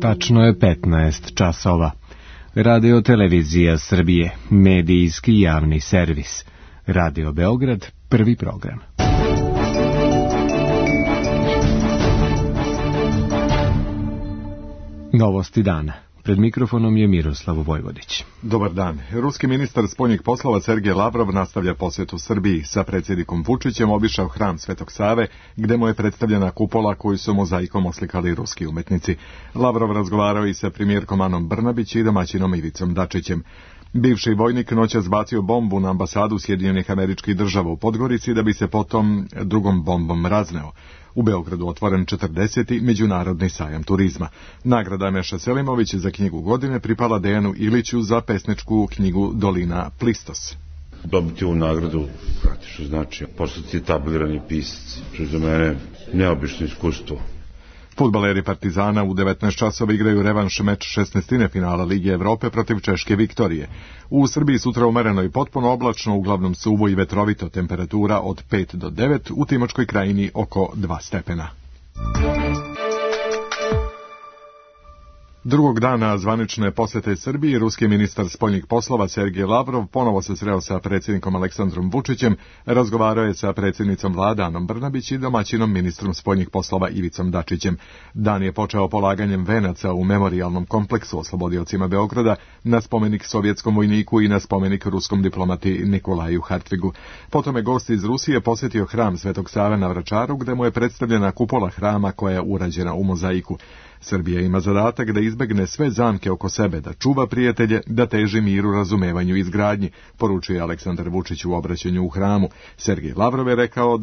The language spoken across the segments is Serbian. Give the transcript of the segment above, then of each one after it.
Tačno je 15 časova. Radio Televizija Srbije, medijski javni servis. Radio Beograd, prvi program. Novosti dana. Pred mikrofonom je Miroslav Vojvodić. Dobar dan. Ruski ministar spoljnih poslova Sergej Lavrov nastavlja posjetu Srbiji. Sa predsjednikom Vučićem obišao hram Svetog Save, gde mu je predstavljena kupola koju su mozaikom oslikali ruski umetnici. Lavrov razgovarao i sa premijerkom Anom Brnabić i domaćinom Ivicom Dačićem. Bivši vojnik noćas bacio bombu na ambasadu Sjedinjenih Američkih Država u Podgorici da bi se potom drugom bombom razneo. U Beogradu otvoren 40. međunarodni sajam turizma. Nagrada Meša Selimović za knjigu godine pripala Dejanu Iliću za pesničku knjigu Dolina Plistos. Dobiti ovu nagradu praktično znači postati etablirani pisac, što je za mene neobično iskustvo. Fudbaleri Partizana u 19 časova igraju revanš meč 16. finala Lige Evrope protiv Češke Viktorije. U Srbiji sutra umereno i potpuno oblačno, uglavnom suvo i vetrovito, temperatura od 5 do 9, u Timočkoj krajini oko 2 stepena. Drugog dana zvanične posete Srbiji, ruski ministar spoljnih poslova Sergej Lavrov ponovo se sreo sa predsjednikom Aleksandrom Vučićem, razgovarao je sa predsjednicom vlade Anom Brnabić i domaćinom ministrom spoljnih poslova Ivicom Dačićem. Dan je počeo polaganjem venaca u memorijalnom kompleksu oslobodiocima Beograda na spomenik sovjetskom vojniku i na spomenik ruskom diplomati Nikolaju Hartvigu. Potom je gost iz Rusije posjetio hram Svetog Save na Vračaru, gde mu je predstavljena kupola hrama koja je urađena u mozaiku. Srbija ima zadatak da izbegne sve zamke oko sebe, da čuva prijatelje, da teži miru, razumevanju i izgradnji, poručuje Aleksandar Vučić u obraćanju u hramu. Sergej Lavrov je rekao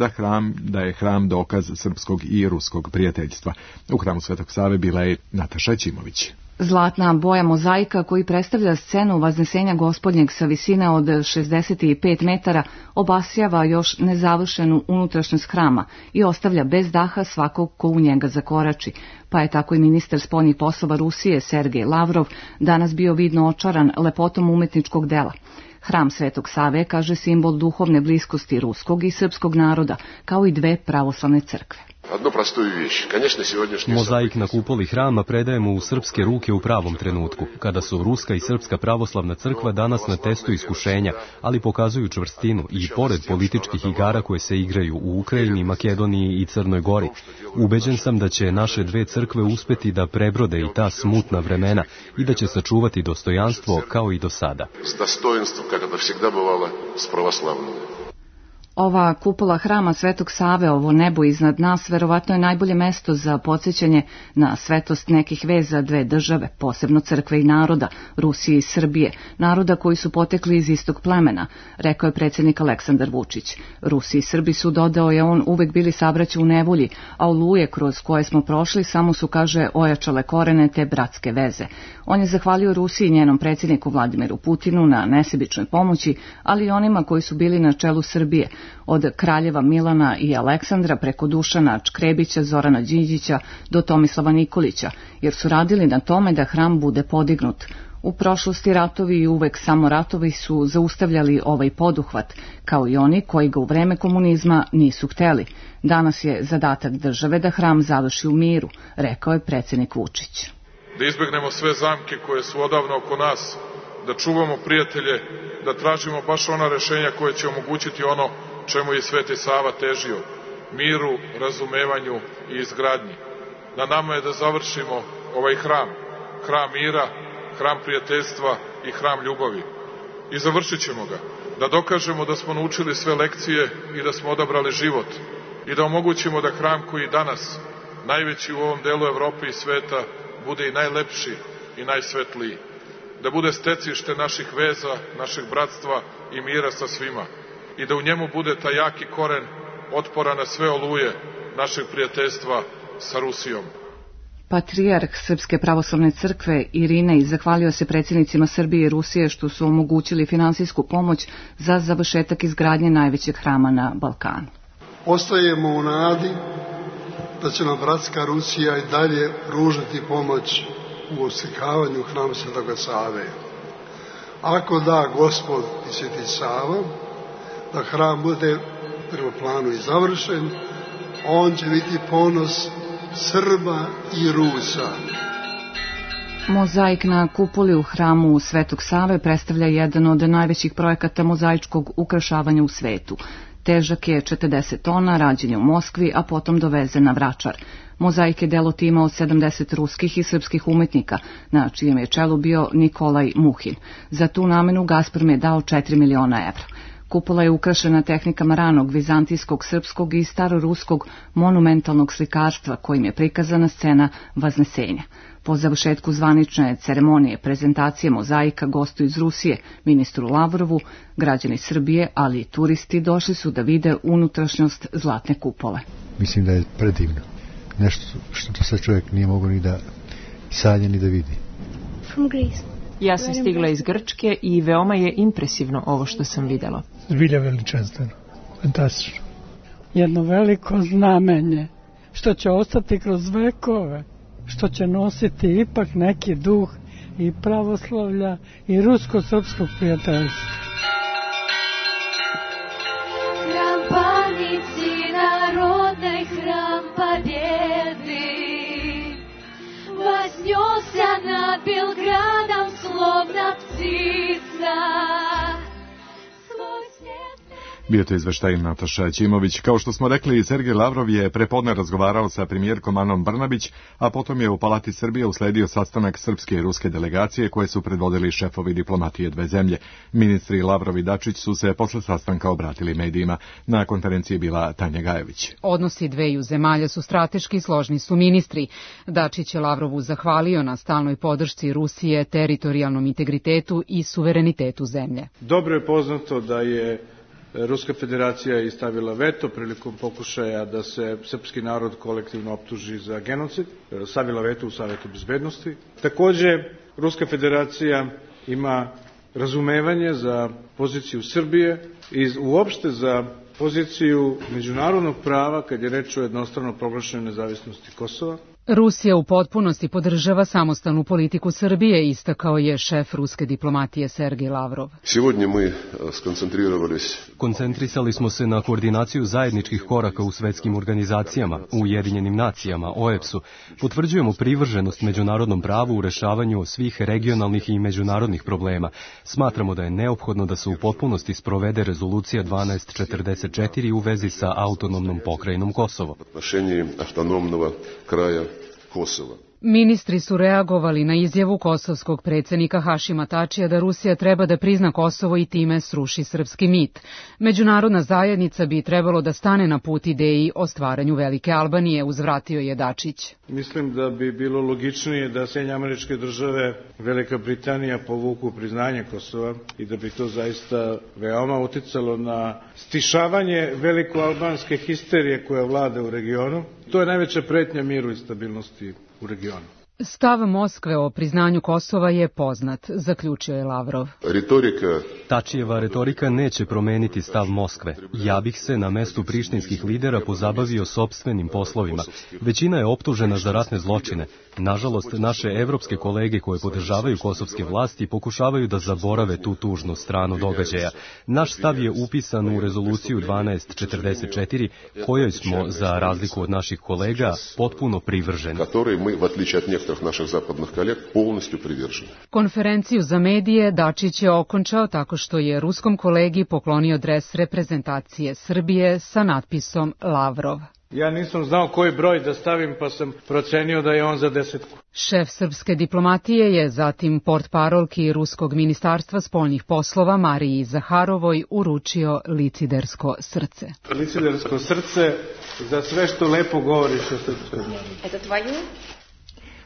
da je hram dokaz srpskog i ruskog prijateljstva. U hramu Svetog Save bila je Nataša Ćimović. Zlatna boja mozaika koji predstavlja scenu Vaznesenja Gospodnjeg sa visine od 65 metara obasjava još nezavršenu unutrašnjost hrama i ostavlja bez daha svakog ko u njega zakorači, pa je tako i ministar spoljnih poslova Rusije Sergej Lavrov danas bio vidno očaran lepotom umetničkog dela. Hram Svetog Save kaže simbol duhovne bliskosti ruskog i srpskog naroda, kao i dve pravoslavne crkve. Mozaik na kupoli hrama predajemo u srpske ruke u pravom trenutku, kada su ruska i srpska pravoslavna crkva danas na testu iskušenja, ali pokazuju čvrstinu i pored političkih igara koje se igraju u Ukrajini, Makedoniji i Crnoj Gori. Ubeđen sam da će naše dve crkve uspeti da prebrode i ta smutna vremena i da će sačuvati dostojanstvo kao i do sada. Ova kupola hrama Svetog Save, ovo nebo iznad nas, verovatno je najbolje mesto za podsjećanje na svetost nekih veza dve države, posebno crkve i naroda, Rusije i Srbije, naroda koji su potekli iz istog plemena, rekao je predsjednik Aleksandar Vučić. Rusi i Srbi su, dodao je on, uvek bili sabraća u nevolji, a oluje kroz koje smo prošli samo su, kaže, ojačale korene te bratske veze. On je zahvalio Rusiji i njenom predsjedniku Vladimiru Putinu na nesebičnoj pomoći, ali i onima koji su bili na čelu Srbije, od kraljeva Milana i Aleksandra preko Dušana Čkrebića, Zorana Đinđića do Tomislava Nikolića, jer su radili na tome da hram bude podignut. U prošlosti ratovi i uvek samo ratovi su zaustavljali ovaj poduhvat, kao i oni koji ga u vreme komunizma nisu hteli. Danas je zadatak države da hram završi u miru, rekao je predsjednik Vučić. Da izbegnemo sve zamke koje su odavno oko nas, da čuvamo prijatelje, da tražimo baš ona rešenja koje će omogućiti ono čemu je Sveti Sava težio, miru, razumevanju i izgradnji. Na nama je da završimo ovaj hram, hram mira, hram prijateljstva i hram ljubavi. I završit ćemo ga, da dokažemo da smo naučili sve lekcije i da smo odabrali život i da omogućimo da hram koji danas, najveći u ovom delu Evrope i sveta, bude i najlepši i najsvetliji. Da bude stecište naših veza, našeg bratstva i mira sa svima i da u njemu bude taj jaki koren otpora na sve oluje našeg prijateljstva sa Rusijom. Patrijarh Srpske pravoslavne crkve Irinej zahvalio se predsjednicima Srbije i Rusije što su omogućili finansijsku pomoć za završetak izgradnje najvećeg hrama na Balkanu. Ostajemo u nadi da će nam bratska Rusija i dalje pružiti pomoć u oslikavanju hrama Svetoga Save. Ako da Gospod i Sveti Sava, da hram bude prema planu i završen, on će biti ponos Srba i Rusa. Mozaik na kupoli u hramu Svetog Save predstavlja jedan od najvećih projekata mozaičkog ukrašavanja u svetu. Težak je 40 tona, rađen je u Moskvi, a potom dovezen na Vračar. Mozaik je delo tima od 70 ruskih i srpskih umetnika, na čijem je čelu bio Nikolaj Muhin. Za tu namenu Gazprom je dao 4 miliona evra. Kupola je ukrašena tehnikama ranog vizantijskog, srpskog i staroruskog monumentalnog slikarstva kojim je prikazana scena Vaznesenja. Po završetku zvanične ceremonije prezentacije mozaika gostu iz Rusije, ministru Lavrovu, građani Srbije, ali i turisti došli su da vide unutrašnjost zlatne kupole. Mislim da je predivno. Nešto što to sad čovjek nije mogao ni da sanja ni da vidi. From Greece. Ja sam stigla iz Grčke i veoma je impresivno ovo što sam videla. Zbilja veličanstveno, fantastično. Jedno veliko znamenje što će ostati kroz vekove, što će nositi ipak neki duh i pravoslavlja i rusko-srpskog prijateljstva. Hram panici narodnej, hram pobjedi, вознесся над Белградом, словно птица. Bio to izveštaj Nataša Ćimović. Kao što smo rekli, Sergej Lavrov je prepodne razgovarao sa premijerkom Anom Brnabić, a potom je u Palati Srbije usledio sastanak srpske i ruske delegacije koje su predvodili šefovi diplomatije dve zemlje. Ministri Lavrov i Dačić su se posle sastanka obratili medijima. Na konferenciji bila Tanja Gajević. Odnosi dveju zemalja su strateški, složni su ministri. Dačić je Lavrovu zahvalio na stalnoj podršci Rusije, teritorijalnom integritetu i suverenitetu zemlje. Dobro je poznato da je Ruska federacija je stavila veto prilikom pokušaja da se srpski narod kolektivno optuži za genocid, stavila veto u Savetu bezbednosti. Takođe, Ruska federacija ima razumevanje za poziciju Srbije i uopšte za poziciju međunarodnog prava kad je reč o jednostrano proglašenoj nezavisnosti Kosova. Rusija u potpunosti podržava samostalnu politiku Srbije, istakao je šef ruske diplomatije Sergej Lavrov. Koncentrisali smo se na koordinaciju zajedničkih koraka u svetskim organizacijama, u Ujedinjenim nacijama, OEBS-u. Potvrđujemo privrženost međunarodnom pravu u rešavanju svih regionalnih i međunarodnih problema. Smatramo da je neophodno da se u potpunosti sprovede rezolucija 1244 u vezi sa autonomnom pokrajinom Kosovo. Kosova. Ministri su reagovali na izjavu kosovskog predsjednika Hašima Tačija da Rusija treba da prizna Kosovo i time sruši srpski mit. Međunarodna zajednica bi trebalo da stane na put ideji o stvaranju Velike Albanije, uzvratio je Dačić. Mislim da bi bilo logičnije da Sjedinjene Američke Države, Velika Britanija povuku priznanje Kosova i da bi to zaista veoma uticalo na stišavanje velikoalbanske histerije koja vlada u regionu. To je najveća pretnja miru i stabilnosti u regionu. Stav Moskve o priznanju Kosova je poznat, zaključio je Lavrov. Tačijeva retorika neće promeniti stav Moskve. Ja bih se na mestu prištinskih lidera pozabavio sopstvenim poslovima. Većina je optužena za ratne zločine. Nažalost, naše evropske kolege koje podržavaju kosovske vlasti pokušavaju da zaborave tu tužnu stranu događaja. Naš stav je upisan u rezoluciju 1244, kojoj smo, za razliku od naših kolega, potpuno privrženi. Konferenciju za medije Dačić je okončao tako što je ruskom kolegi poklonio dres reprezentacije Srbije sa natpisom Lavrov. Ja nisam znao koji broj da stavim, pa sam procenio da je on za 10. Šef srpske diplomatije je zatim portparolki Ruskog ministarstva spoljnih poslova Mariji Zaharovoj uručio licidersko srce. Licidersko srce za sve što lepo govoriš o srpskoj narodu. Eto tvoju?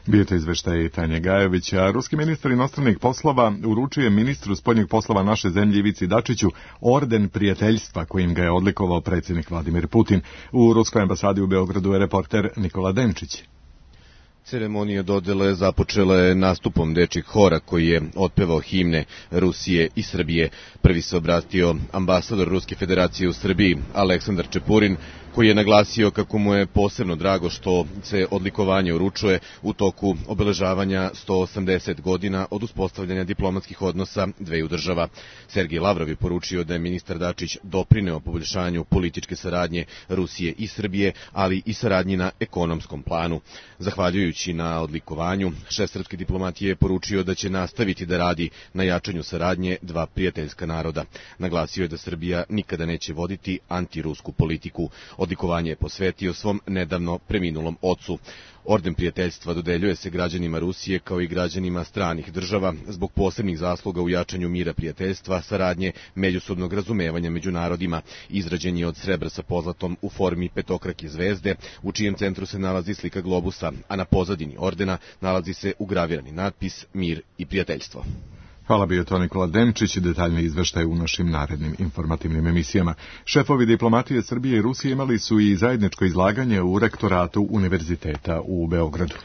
Bio to izveštaj Tanje Gajević, a ruski ministar inostranih poslova uručuje ministru spoljnih poslova naše zemlje Ivici Dačiću orden prijateljstva kojim ga je odlikovao predsjednik Vladimir Putin. U ruskoj ambasadi u Beogradu je reporter Nikola Denčić. Ceremonija dodele započela je nastupom dečjeg hora koji je otpevao himne Rusije i Srbije. Prvi se obratio ambasador Ruske federacije u Srbiji, Aleksandar Čepurin, koji je naglasio kako mu je posebno drago što se odlikovanje uručuje u toku obeležavanja 180 godina od uspostavljanja diplomatskih odnosa dveju država. Sergej Lavrov je poručio da je ministar Dačić doprineo poboljšanju političke saradnje Rusije i Srbije, ali i saradnji na ekonomskom planu. Zahvaljujući na odlikovanju, šef srpske diplomatije je poručio da će nastaviti da radi na jačanju saradnje dva prijateljska naroda. Naglasio je da Srbija nikada neće voditi antirusku politiku. Odlikovanje je posvetio svom nedavno preminulom ocu. Orden prijateljstva dodeljuje se građanima Rusije kao i građanima stranih država zbog posebnih zasluga u jačanju mira prijateljstva, saradnje, međusobnog razumevanja među narodima. Izrađen je od srebra sa pozlatom u formi petokrake zvezde, u čijem centru se nalazi slika globusa, a na pozadini ordena nalazi se ugravirani natpis Mir i prijateljstvo. Hvala, bio to Nikola Demčić i detaljne izveštaje u našim narednim informativnim emisijama. Šefovi diplomatije Srbije i Rusije imali su i zajedničko izlaganje u rektoratu Univerziteta u Beogradu.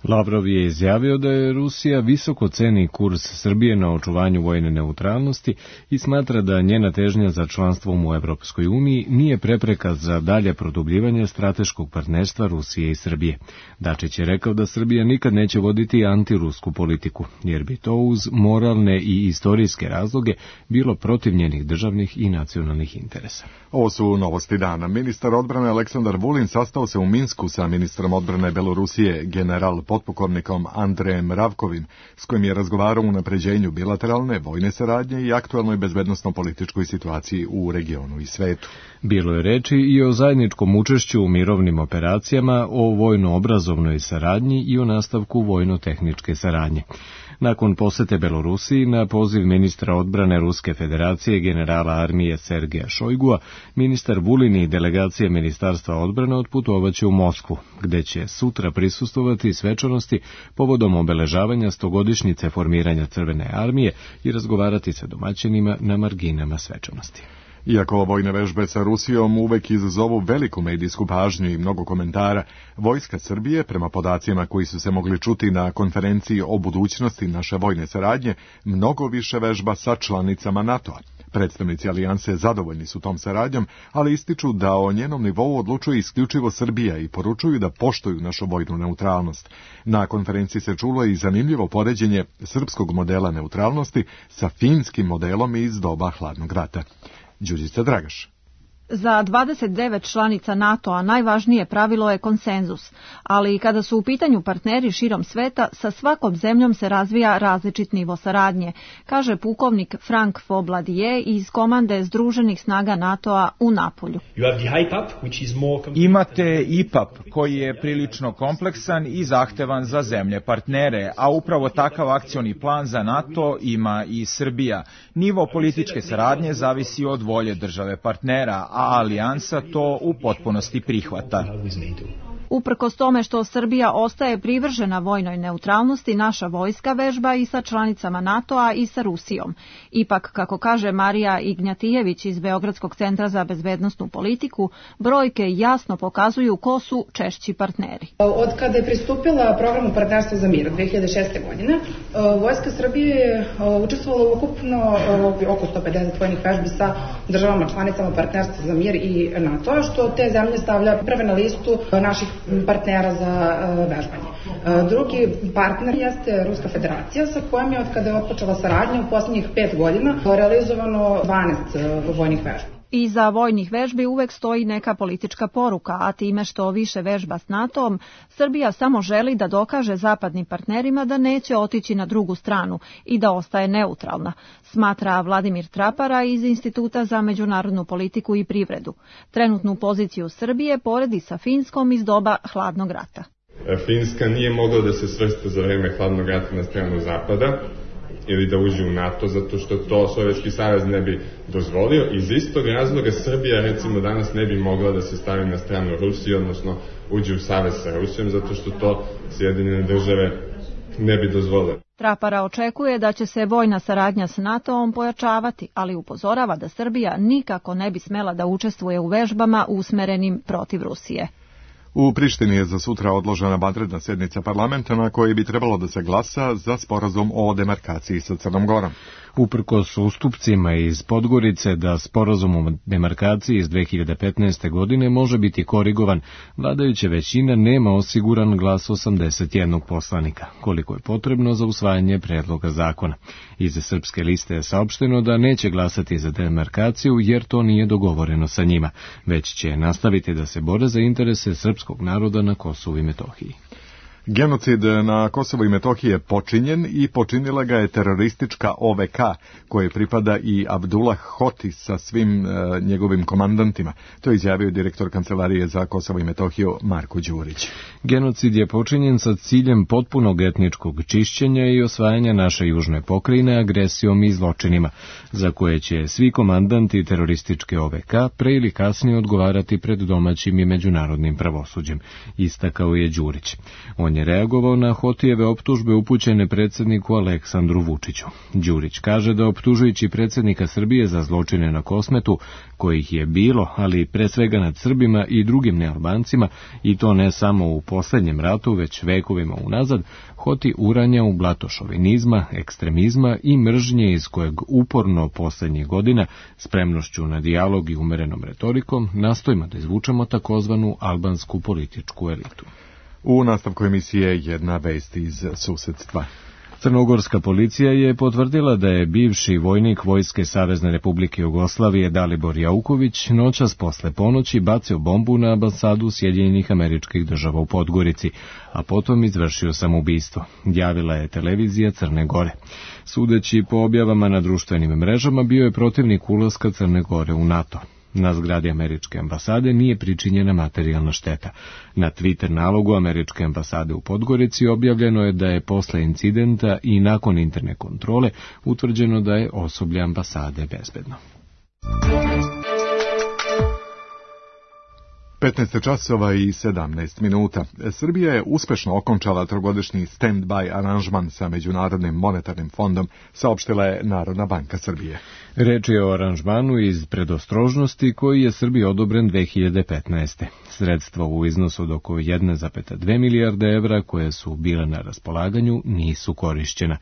Lavrov je izjavio da je Rusija visoko ceni kurs Srbije na očuvanju vojne neutralnosti i smatra da njena težnja za članstvom u Evropskoj uniji nije prepreka za dalje produbljivanje strateškog partnerstva Rusije i Srbije. Dačić je rekao da Srbija nikad neće voditi antirusku politiku, jer bi to uz moralne i istorijske razloge bilo protiv njenih državnih i nacionalnih interesa. Ovo su novosti dana. Ministar odbrane Aleksandar Vulin sastao se u Minsku sa ministrom odbrane Belorusije, general potpukovnikom Andrejem Ravkovim, s kojim je razgovarao o unapređenju bilateralne vojne saradnje i aktuelnoj bezbednosno-političkoj situaciji u regionu i svetu. Bilo je reči i o zajedničkom učešću u mirovnim operacijama, o vojno-obrazovnoj saradnji i o nastavku vojno-tehničke saradnje. Nakon posete Belorusiji, na poziv ministra odbrane Ruske federacije generala armije Sergeja Šojgua, ministar Vulin i delegacija Ministarstva odbrane otputovaće u Moskvu, gde će sutra prisustvovati svečanosti povodom obeležavanja 100-godišnjice formiranja Crvene armije i razgovarati sa domaćinima na marginama svečanosti. Iako vojne vežbe sa Rusijom uvek izazovu veliku medijsku pažnju i mnogo komentara, Vojska Srbije, prema podacima koji su se mogli čuti na konferenciji o budućnosti naše vojne saradnje, mnogo više vežba sa članicama NATO-a. Predstavnici alijanse zadovoljni su tom saradnjom, ali ističu da o njenom nivou odlučuje isključivo Srbija i poručuju da poštuju našu vojnu neutralnost. Na konferenciji se čulo i zanimljivo poređenje srpskog modela neutralnosti sa finskim modelom iz doba hladnog rata. Đurđica Dragaš. Za 29 članica NATO-a najvažnije pravilo je konsenzus, ali i kada su u pitanju partneri širom sveta, sa svakom zemljom se razvija različit nivo saradnje, kaže pukovnik Frank Fobladije iz komande Združenih snaga NATO-a u Napolju. Imate IPAP koji je prilično kompleksan i zahtevan za zemlje partnere, a upravo takav akcioni plan za NATO ima i Srbija. Nivo političke saradnje zavisi od volje države partnera, a alijansa to u potpunosti prihvata. Uprkos tome što Srbija ostaje privržena vojnoj neutralnosti, naša vojska vežba i sa članicama NATO-a i sa Rusijom. Ipak, kako kaže Marija Ignjatijević iz Beogradskog centra za bezbednosnu politiku, brojke jasno pokazuju ko su češći partneri. Od kada je pristupila programu Partnerstva za mir 2006. godine, Vojska Srbije je učestvovala ukupno oko 150 vojnih vežbi sa državama članicama Partnerstva za mir i NATO-a, što te zemlje stavlja prve na listu naših partnera za vežbanje. Drugi partner jeste Ruska federacija, sa kojom je od kada je otpočela saradnja u posljednjih 5 godina realizovano 12 vojnih vežbi. Iza vojnih vežbi uvek stoji neka politička poruka, a time što više vežba s NATO-om, Srbija samo želi da dokaže zapadnim partnerima da neće otići na drugu stranu i da ostaje neutralna, smatra Vladimir Trapara iz Instituta za međunarodnu politiku i privredu. Trenutnu poziciju Srbije poredi sa Finskom iz doba hladnog rata. Finska nije mogla da se svrsta za vreme hladnog rata na stranu zapada ili da uđe u NATO, zato što to Sovjetski savez ne bi dozvolio. Iz istog razloga Srbija, recimo, danas ne bi mogla da se stavi na stranu Rusije, odnosno uđe u savez sa Rusijom, zato što to Sjedinjene države ne bi dozvolile. Trapara očekuje da će se vojna saradnja s NATO-om pojačavati, ali upozorava da Srbija nikako ne bi smela da učestvuje u vežbama usmerenim protiv Rusije. U Prištini je za sutra odložena vanredna sjednica parlamenta na kojoj bi trebalo da se glasa za sporazum o demarkaciji sa Crnom Gorom. Uprkos ustupcima iz Podgorice da sporazum o demarkaciji iz 2015. godine može biti korigovan, vladajuća većina nema osiguran glas 81 poslanika, koliko je potrebno za usvajanje predloga zakona. Iz Srpske liste je saopšteno da neće glasati za demarkaciju jer to nije dogovoreno sa njima, već će nastaviti da se bore za interese srpskog naroda na Kosovu i Metohiji. Genocid na Kosovu i Metohiji je počinjen i počinila ga je teroristička OVK, koje pripada i Abdullah Hoti sa svim njegovim komandantima. To je izjavio direktor Kancelarije za Kosovo i Metohiju Marko Đurić. Genocid je počinjen sa ciljem potpunog etničkog čišćenja i osvajanja naše južne pokrajine agresijom i zločinima, za koje će svi komandanti terorističke OVK pre ili kasnije odgovarati pred domaćim i međunarodnim pravosuđem, istakao je Đurić. On je reagovao na Hotijeve optužbe upućene predsjedniku Aleksandru Vučiću. Đurić kaže da optužujući predsjednika Srbije za zločine na Kosmetu, kojih je bilo, ali pre svega nad Srbima i drugim nealbancima, i to ne samo u posljednjem ratu, već vekovima unazad, Hoti uranja u blato šovinizma, ekstremizma i mržnje iz kojeg uporno posljednjih godina, spremnošću na dijalog i umerenom retorikom, nastojimo da izvučemo takozvanu albansku političku elitu. U nastavku emisije jedna vest iz susedstva. Crnogorska policija je potvrdila da je bivši vojnik Vojske Savezne Republike Jugoslavije Dalibor Jauković noćas posle ponoći bacio bombu na ambasadu Sjedinjenih Američkih Država u Podgorici, a potom izvršio samoubistvo, javila je televizija Crne Gore. Sudeći po objavama na društvenim mrežama, bio je protivnik ulaska Crne Gore u NATO. Na zgradi američke ambasade nije pričinjena materijalna šteta. Na Twitter nalogu američke ambasade u Podgorici objavljeno je da je posle incidenta i nakon interne kontrole utvrđeno da je osoblje ambasade bezbedno. 15 časova i 17 minuta. Srbija je uspešno okončala trogodišnji stand-by aranžman sa Međunarodnim monetarnim fondom, saopštila je Narodna banka Srbije. Reč je o aranžmanu iz predostrožnosti koji je Srbiji odobren 2015. Sredstva u iznosu od oko 1,2 milijarde evra koje su bile na raspolaganju nisu korišćena.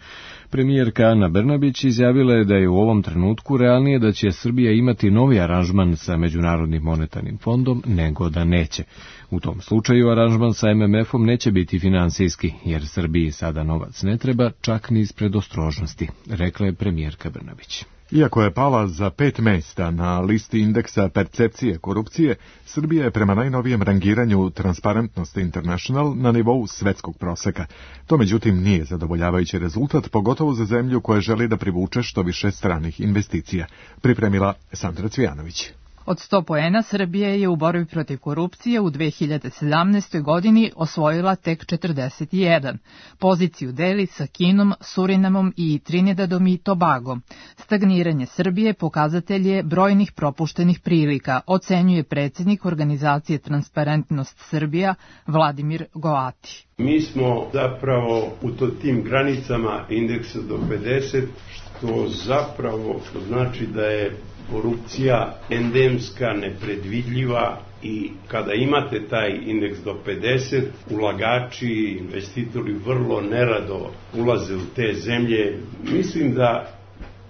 Premijerka Ana Brnabić izjavila je da je u ovom trenutku realnije da će Srbija imati novi aranžman sa Međunarodnim monetarnim fondom nego da neće. U tom slučaju aranžman sa MMF-om neće biti finansijski, jer Srbiji sada novac ne treba, čak ni iz predostrožnosti, rekla je premijerka Brnabić. Iako je pala za 5 mesta na listi indeksa percepcije korupcije, Srbija je prema najnovijem rangiranju Transparency International na nivou svetskog proseka. To međutim nije zadovoljavajući rezultat, pogotovo za zemlju koja želi da privuče što više stranih investicija, pripremila Sandra Cvijanović. Od 100 poena Srbija je u borbi protiv korupcije u 2017. godini osvojila tek 41. Poziciju deli sa Kinom, Surinamom i Trinidadom i Tobagom. Stagniranje Srbije pokazatelj je brojnih propuštenih prilika, ocenjuje predsjednik organizacije Transparentnost Srbija Vladimir Goati. Mi smo zapravo u tim granicama indeksa do 50, što zapravo znači da je korupcija endemska, nepredvidljiva i kada imate taj indeks do 50, ulagači, investitori vrlo nerado ulaze u te zemlje. Mislim da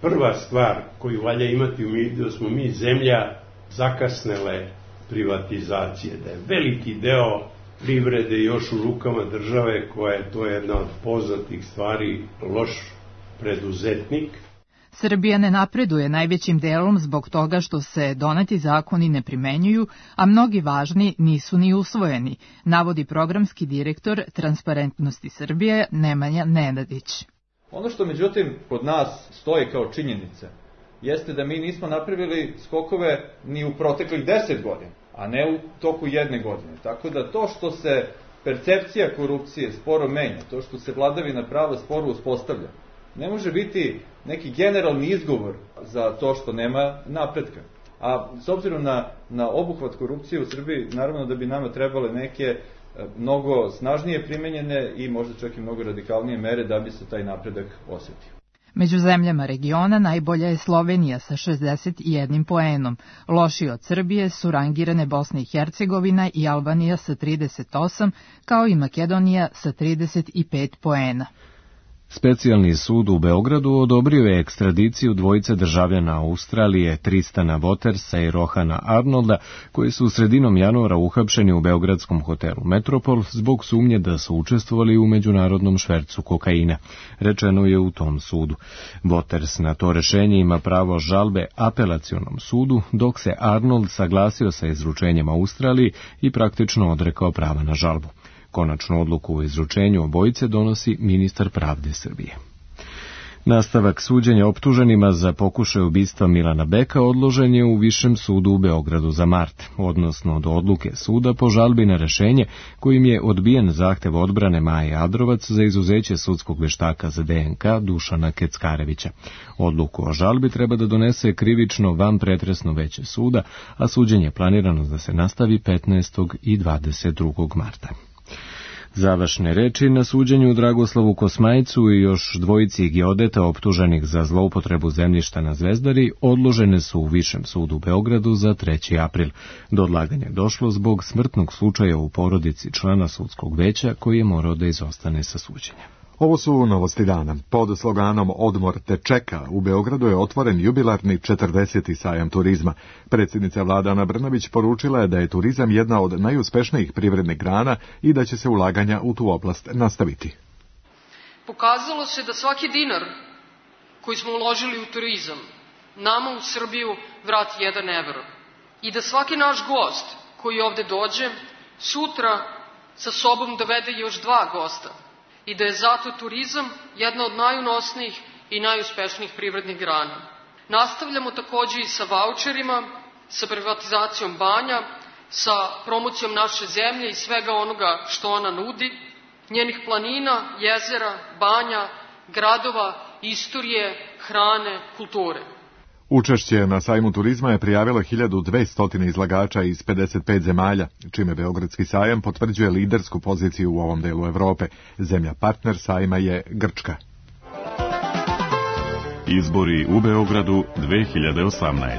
prva stvar koju valja imati u vidu da smo mi zemlja zakasnele privatizacije, da je veliki deo privrede još u rukama države koja je, to je jedna od poznatih stvari, loš preduzetnik. Srbija ne napreduje najvećim delom zbog toga što se doneti zakoni ne primenjuju, a mnogi važni nisu ni usvojeni, navodi programski direktor Transparentnosti Srbije Nemanja Nenadić. Ono što međutim kod nas stoji kao činjenica jeste da mi nismo napravili skokove ni u proteklih 10 godina, a ne u toku jedne godine. Tako da to što se percepcija korupcije sporo menja, to što se vladavina prava sporo uspostavlja, ne može biti neki generalni izgovor za to što nema napretka. A s obzirom na obuhvat korupcije u Srbiji, naravno da bi nama trebale neke mnogo snažnije primenjene i možda čak i mnogo radikalnije mere da bi se taj napredak osjetio. Među zemljama regiona najbolja je Slovenija sa 61 poenom. Lošije od Srbije su rangirane Bosna i Hercegovina i Albanija sa 38, kao i Makedonija sa 35 poena. Specijalni sud u Beogradu odobrio je ekstradiciju dvojice državljana Australije, Tristana Watersa i Rohana Arnolda, koji su sredinom januara uhapšeni u beogradskom hotelu Metropol zbog sumnje da su učestvovali u međunarodnom švercu kokaina, rečeno je u tom sudu. Waters na to rešenje ima pravo žalbe apelacionom sudu, dok se Arnold saglasio sa izručenjem Australiji i praktično odrekao prava na žalbu. Konačnu odluku o izručenju obojice donosi ministar pravde Srbije. Nastavak suđenja optuženima za pokušaj ubistva Milana Beka odložen je u Višem sudu u Beogradu za mart, odnosno do odluke suda po žalbi na rešenje kojim je odbijen zahtev odbrane Maje Adrovac za izuzeće sudskog veštaka za DNK Dušana Keckarevića. Odluku o žalbi treba da donese krivično vanpretresno veće suda, a suđenje je planirano da se nastavi 15. i 22. marta. Završne reči na suđenju Dragoslavu Kosmajcu i još dvojici geodeta optuženih za zloupotrebu zemljišta na Zvezdari odložene su u Višem sudu u Beogradu za 3. april. Do odlaganja je došlo zbog smrtnog slučaja u porodici člana sudskog veća koji je morao da izostane sa suđenja. Ovo su novosti dana. Pod sloganom Odmor te čeka u Beogradu je otvoren jubilarni 40. sajam turizma. Predsjednica vlade Ana Brnabić poručila je da je turizam jedna od najuspešnijih privrednih grana i da će se ulaganja u tu oblast nastaviti. Pokazalo se da svaki dinar koji smo uložili u turizam nama u Srbiju vrati 1 evro i da svaki naš gost koji ovde dođe sutra sa sobom dovede još 2 gosta. I da je zato turizam jedna od najunosnijih i najuspešnijih privrednih grana. Nastavljamo također i sa vaučerima, sa privatizacijom banja, sa promocijom naše zemlje i svega onoga što ona nudi, njenih planina, jezera, banja, gradova, istorije, hrane, kulture. Učešće na sajmu turizma je prijavilo 1200 izlagača iz 55 zemalja, čime Beogradski sajam potvrđuje lidersku poziciju u ovom delu Evrope. Zemlja partner sajma je Grčka. Izbori u Beogradu 2018.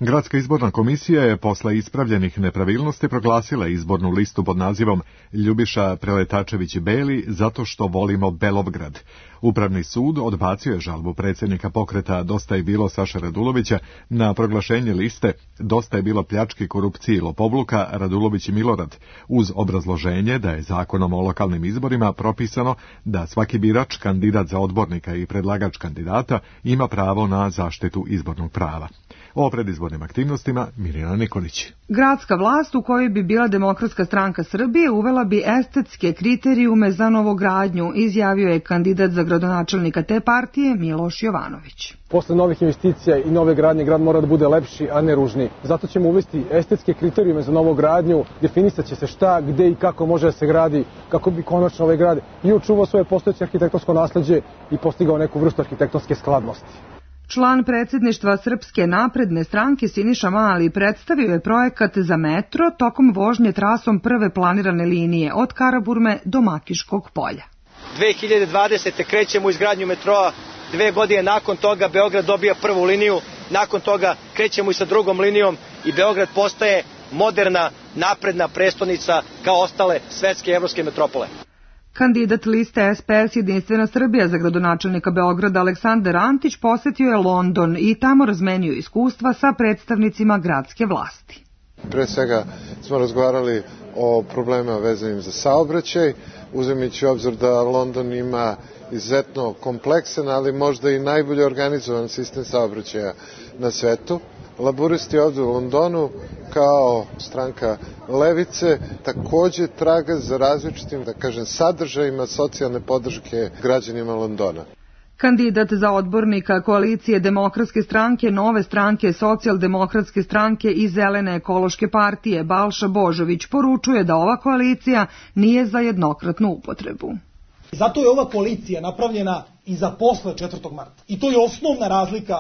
Gradska izborna komisija je posle ispravljenih nepravilnosti proglasila izbornu listu pod nazivom Ljubiša Preletačević-Beli zato što volimo Belovgrad. Upravni sud odbacio je žalbu predsjednika pokreta Dosta je bilo Saše Radulovića na proglašenje liste Dosta je bilo pljački, korupcije i lopovluka Radulović i Milorad, uz obrazloženje da je zakonom o lokalnim izborima propisano da svaki birač, kandidat za odbornika i predlagač kandidata ima pravo na zaštitu izbornog prava. O predizbornim aktivnostima Mirjana Nikolić. Gradska vlast u kojoj bi bila Demokratska stranka Srbije uvela bi estetske kriterijume za novogradnju, izjavio je kandidat za gradonačelnika te partije Miloš Jovanović. Posle novih investicija i nove gradnje grad mora da bude lepši, a ne ružniji. Zato ćemo uvesti estetske kriterijume za novogradnju, definisat će se šta, gde i kako može da se gradi, kako bi konačno ovaj grad i očuvao svoje postojeće arhitektonsko nasleđe i postigao neku vrstu arhitektonske skladnosti. Član predsjedništva Srpske napredne stranke Siniša Mali predstavio je projekat za metro tokom vožnje trasom prve planirane linije od Karaburme do Makiškog polja. 2020. krećemo u izgradnju metroa, 2 godine nakon toga Beograd dobija prvu liniju, nakon toga krećemo i sa drugom linijom i Beograd postaje moderna, napredna prestonica kao ostale svetske i evropske metropole. Kandidat liste SPS Jedinstvena Srbija za gradonačelnika Beograda Aleksandar Antić posetio je London i tamo razmenio iskustva sa predstavnicima gradske vlasti. Pre svega smo razgovarali o problemima vezanim za saobraćaj, uzimajući u obzir da London ima izuzetno kompleksan, ali možda i najbolje organizovan sistem saobraćaja na svetu. Laburisti ovdje u Londonu kao stranka levice također traga za različitim, da kažem, sadržajima socijalne podrške građanima Londona. Kandidat za odbornika koalicije Demokratske stranke, Nove stranke, Socijaldemokratske stranke i Zelene ekološke partije Balša Božović poručuje da ova koalicija nije za jednokratnu upotrebu. Zato je ova koalicija napravljena i za posle 4. marta. I to je osnovna razlika,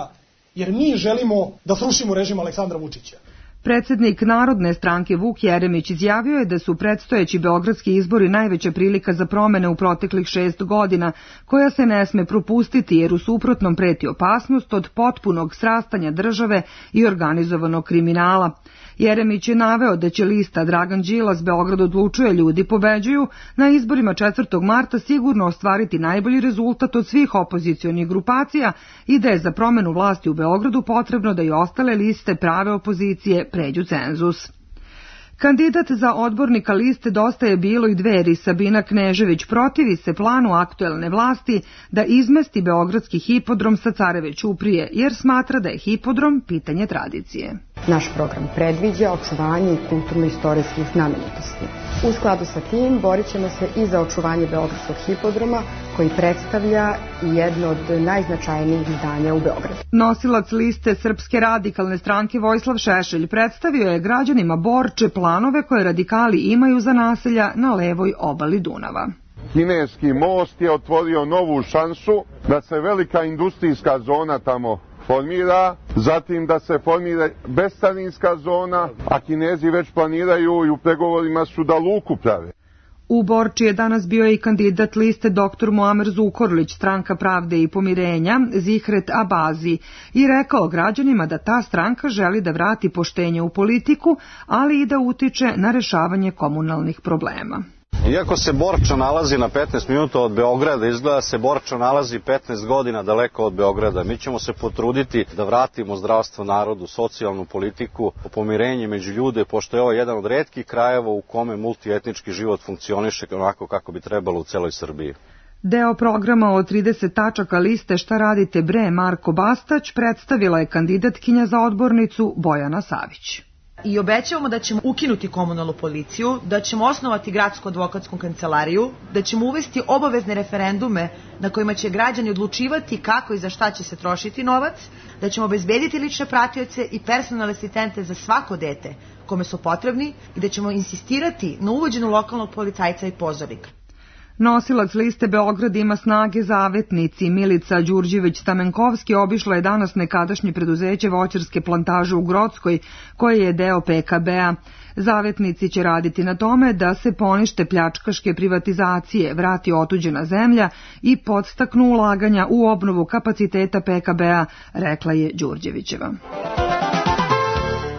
jer mi želimo da srušimo režim Aleksandra Vučića. Predsednik Narodne stranke Vuk Jeremić izjavio je da su predstojeći beogradski izbori najveća prilika za promene u proteklih 6 godina, koja se ne sme propustiti jer u suprotnom preti opasnost od potpunog srastanja države i organizovanog kriminala. Jeremić je naveo da će lista Dragan Đilas Beograd odlučuje ljudi pobeđuju na izborima 4. marta sigurno ostvariti najbolji rezultat od svih opozicionih grupacija i da je za promenu vlasti u Beogradu potrebno da i ostale liste prave opozicije pređu cenzus. Kandidat za odbornika liste Dosta je bilo i Dveri Sabina Knežević protivi se planu aktuelne vlasti da izmesti beogradski hipodrom sa Careve ćuprije, jer smatra da je hipodrom pitanje tradicije. Naš program predviđa očuvanje kulturno-istorijskih znamenitosti. U skladu sa tim borit ćemo se i za očuvanje beogradskog hipodroma koji predstavlja jedno od najznačajnijih zdanja u Beogradu. Nosilac liste Srpske radikalne stranke Vojislav Šešelj predstavio je građanima Borče planove koje radikali imaju za naselja na levoj obali Dunava. Kineski most je otvorio novu šansu da se velika industrijska zona tamo formira, zatim da se formira bescarinska zona, a Kinezi već planiraju i u pregovorima su da luku prave. U Borči je danas bio i kandidat liste dr. Muamer Zukorlić, Stranka pravde i pomirenja, Zihret Abazi, i rekao građanima da ta stranka želi da vrati poštenje u politiku, ali i da utiče na rešavanje komunalnih problema. Iako se Borča nalazi na 15 minuta od Beograda, izgleda se Borča nalazi 15 godina daleko od Beograda. Mi ćemo se potruditi da vratimo zdravstvo narodu, socijalnu politiku, pomirenje među ljude, pošto je ovo jedan od retkih krajeva u kome multietnički život funkcioniše onako kako bi trebalo u celoj Srbiji. Deo programa od 30 tačaka liste Šta radite bre Marko Bastać predstavila je kandidatkinja za odbornicu Bojana Savić. I obećavamo da ćemo ukinuti komunalnu policiju, da ćemo osnovati gradsku advokatsku kancelariju, da ćemo uvesti obavezne referendume na kojima će građani odlučivati kako i za šta će se trošiti novac, da ćemo obezbediti lične pratioce i personalne asistente za svako dete kome su potrebni i da ćemo insistirati na uvođenju lokalnog policajca i pozornika. Nosilac liste Beograd ima snage zavetnici Milica Đurđević-Stamenkovski obišla je danas nekadašnje preduzeće voćarske plantaže u Grockoj, koje je deo PKB-a. Zavetnici će raditi na tome da se ponište pljačkaške privatizacije, vrati otuđena zemlja i podstaknu ulaganja u obnovu kapaciteta PKB-a, rekla je Đurđevićeva.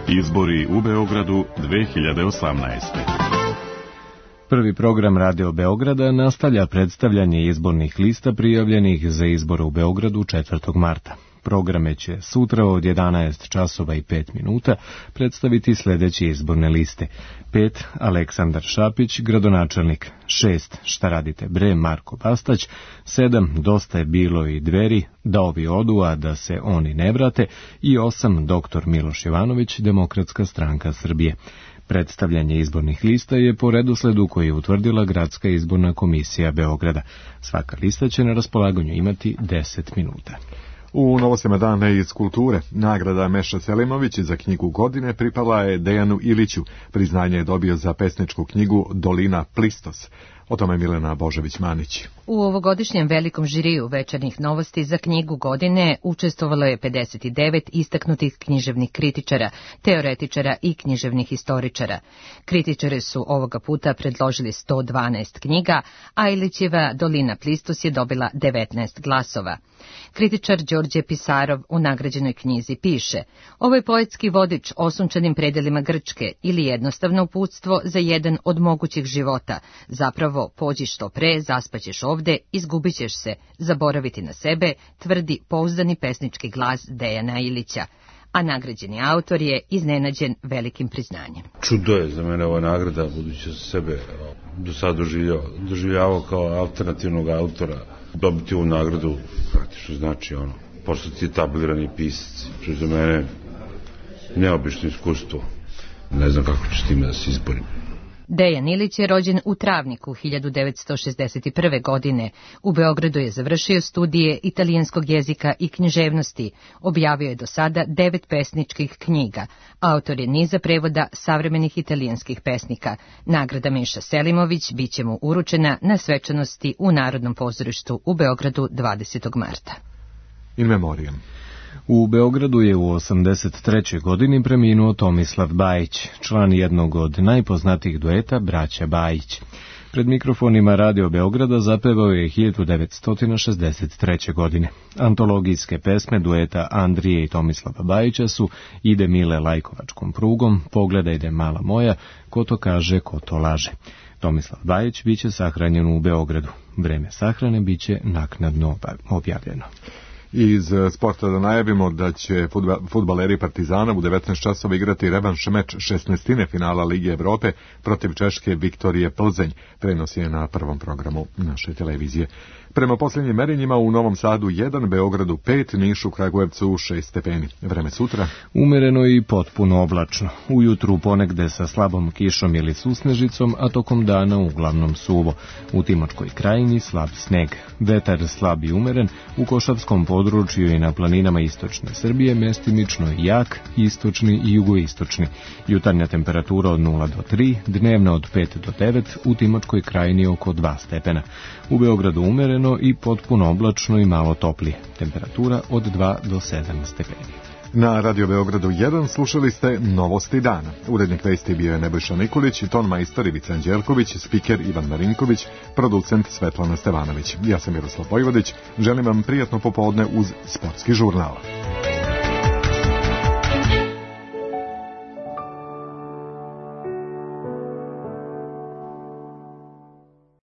Izbori u Beogradu 2018. Prvi program Radio Beograda nastavlja predstavljanje izbornih lista prijavljenih za izbore u Beogradu 4. marta. Programe će sutra od 11 časova i 5 minuta predstaviti sljedeće izborne liste. 5. Aleksandar Šapić, gradonačelnik. 6. Šta radite bre Marko Bastać. 7. Dosta je bilo i Dveri, da ovi odu, a da se oni ne vrate. I 8. Dr. Miloš Jovanović, Demokratska stranka Srbije. Predstavljanje izbornih lista je po redosledu koji je utvrdila Gradska izborna komisija Beograda. Svaka lista će na raspolaganju imati 10 minuta. U novostima dana iz kulture, nagrada Meša Selimović za knjigu godine pripala je Dejanu Iliću. Priznanje je dobio za pesničku knjigu Dolina Plistos. O tome Milena Božević-Manić. U ovogodišnjem velikom žiriju večernjih novosti za knjigu godine učestvovalo je 59 istaknutih književnih kritičara, teoretičara i književnih historičara. Kritičari su ovoga puta predložili 112 knjiga, a Ilićeva Dolina Plistos je dobila 19 glasova. Kritičar Đorđe Pisarov u nagrađenoj knjizi piše: ovo je poetski vodič o sunčanim predelima Grčke ili jednostavno uputstvo za jedan od mogućih života. Zapravo, pođi što pre, zaspaćeš ovde, izgubit ćeš se, zaboraviti na sebe, tvrdi pouzdani pesnički glas Dejana Ilića. A nagrađeni autor je iznenađen velikim priznanjem. Čudo je za mene ova nagrada, budući da sebe do sad doživljavao kao alternativnog autora. Dobiti ovu nagradu praktično znači postati etablirani pisac. To je za mene neobično iskustvo. Ne znam kako ću s time da se izborim. Dejan Ilić je rođen u Travniku 1961. godine. U Beogradu je završio studije italijanskog jezika i književnosti. Objavio je do sada 9 pesničkih knjiga. Autor je niza prevoda savremenih italijanskih pesnika. Nagrada Meša Selimović bit će mu uručena na svečanosti u Narodnom pozorištu u Beogradu 20. marta. In memoriam. U Beogradu je u 83. godini preminuo Tomislav Bajić, član jednog od najpoznatijih dueta braća Bajić. Pred mikrofonima Radio Beograda zapevao je 1963. godine. Antologijske pesme dueta Andrije i Tomislava Bajića su Ide mile lajkovačkom prugom, Pogledajde mala moja, Ko to kaže, ko to laže. Tomislav Bajić biće sahranjen u Beogradu. Vreme sahrane biće naknadno objavljeno. Iz sporta da najavimo da će fudbaleri Partizana u 19 časova igrati revanš meč 16. finala Lige Evrope protiv Češke Viktorije Plzeň. Prenos je na prvom programu naše televizije. Prema posljednjim merenjima u Novom Sadu 1, Beogradu 5, Nišu, Kragujevcu 6 stepeni. Vreme sutra? Umereno i potpuno oblačno. Ujutru ponegde sa slabom kišom ili susnežicom, a tokom dana uglavnom suvo. U Timočkoj krajini slab sneg. Vetar slab i umeren, u Košavskom području i na planinama istočne Srbije mestimično jak, istočni i jugoistočni. Jutarnja temperatura od 0 do 3, dnevna od 5 do 9, u Timočkoj krajini oko 2 stepena. U Beogradu umereno i potpuno oblačno i malo toplije. Temperatura od 2 do 7 stepeni. Na Radio Beogradu 1 slušali ste Novosti dana. Urednik vesti bio je Nebojša Nikolić, ton majstor Ivica Anđelković, spiker Ivan Marinković, producent Svetlana Stevanović. Ja sam Miroslav Vojvodić. Želim vam prijatno popodne uz Sportski žurnal.